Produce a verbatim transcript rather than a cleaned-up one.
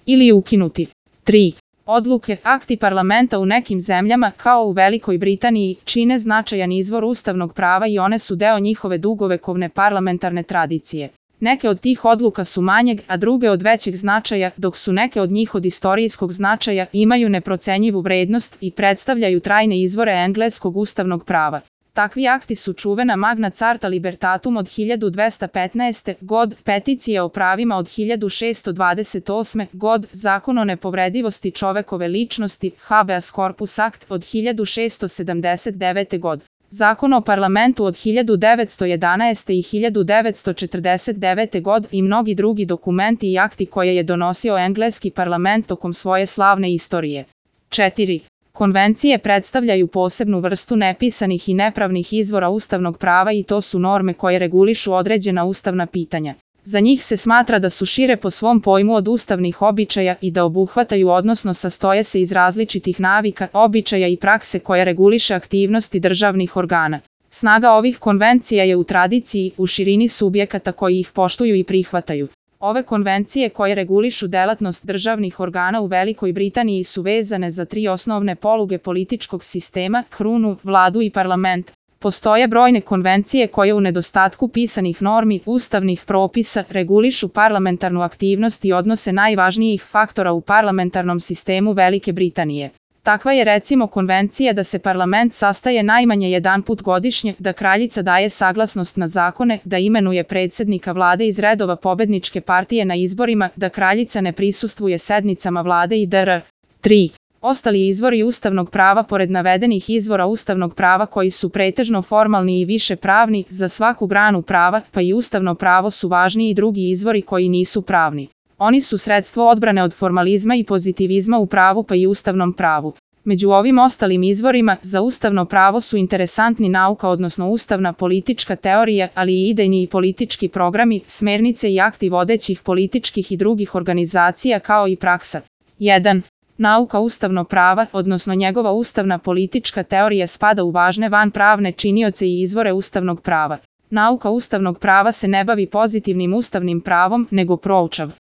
ili ukinuti. tri. Odluke, akti parlamenta u nekim zemljama, kao u Velikoj Britaniji, čine značajan izvor ustavnog prava i one su deo njihove dugovekovne parlamentarne tradicije. Neke od tih odluka su manjeg, a druge od većeg značaja, dok su neke od njih od istorijskog značaja, imaju neprocenjivu vrednost i predstavljaju trajne izvore engleskog ustavnog prava. Takvi akti su čuvena Magna Carta Libertatum od hiljadu dvesta petnaeste. god, peticija o pravima od hiljadu šesto dvadeset osme. god, zakon o nepovredivosti čovekove ličnosti, Habeas Corpus Act od hiljadu šesto sedamdeset devete. god. Zakon o parlamentu od hiljadu devetsto jedanaeste. i hiljadu devetsto četrdeset devete. god i mnogi drugi dokumenti i akti koje je donosio engleski parlament tokom svoje slavne istorije. četiri. Konvencije predstavljaju posebnu vrstu nepisanih i nepravnih izvora ustavnog prava i to su norme koje regulišu određena ustavna pitanja. Za njih se smatra da su šire po svom pojmu od ustavnih običaja i da obuhvataju odnosno sastoje se iz različitih navika, običaja i prakse koje reguliše aktivnosti državnih organa. Snaga ovih konvencija je u tradiciji, u širini subjekata koji ih poštuju i prihvataju. Ove konvencije koje regulišu delatnost državnih organa u Velikoj Britaniji su vezane za tri osnovne poluge političkog sistema, krunu, vladu i parlament. Postoje brojne konvencije koje u nedostatku pisanih normi, ustavnih propisa, regulišu parlamentarnu aktivnost i odnose najvažnijih faktora u parlamentarnom sistemu Velike Britanije. Takva je recimo konvencija da se parlament sastaje najmanje jedanput godišnje, da kraljica daje saglasnost na zakone, da imenuje predsjednika vlade iz redova pobedničke partije na izborima, da kraljica ne prisustvuje sednicama vlade i dr. tri. Ostali izvori ustavnog prava pored navedenih izvora ustavnog prava koji su pretežno formalni i više pravni, za svaku granu prava, pa i ustavno pravo su važni i drugi izvori koji nisu pravni. Oni su sredstvo odbrane od formalizma i pozitivizma u pravu pa i ustavnom pravu. Među ovim ostalim izvorima, za ustavno pravo su interesantni nauka odnosno ustavna politička teorija, ali i idejni i politički programi, smernice i akti vodećih političkih i drugih organizacija kao i praksa. jedan. Nauka ustavno prava, odnosno njegova ustavna politička teorija spada u važne vanpravne činioce i izvore ustavnog prava. Nauka ustavnog prava se ne bavi pozitivnim ustavnim pravom, nego proučava